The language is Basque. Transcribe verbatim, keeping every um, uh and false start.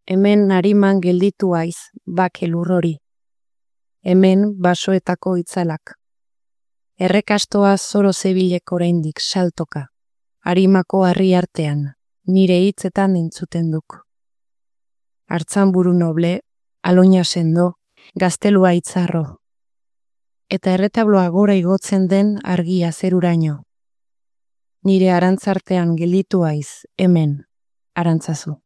hemen nariman gelditu aiz, bake lurrori. Hemen basoetako itzalak. Errekastoa zoro zebilek oraindik saltoka, harimako harri artean, nire hitzetan entzuten duk. Hartzanburu noble, aloina sendo, gaztelua itzarro. Eta erretabloa gora igotzen den argia zeruraino. Nire arantzartean gelditu aiz, hemen, arantzazu.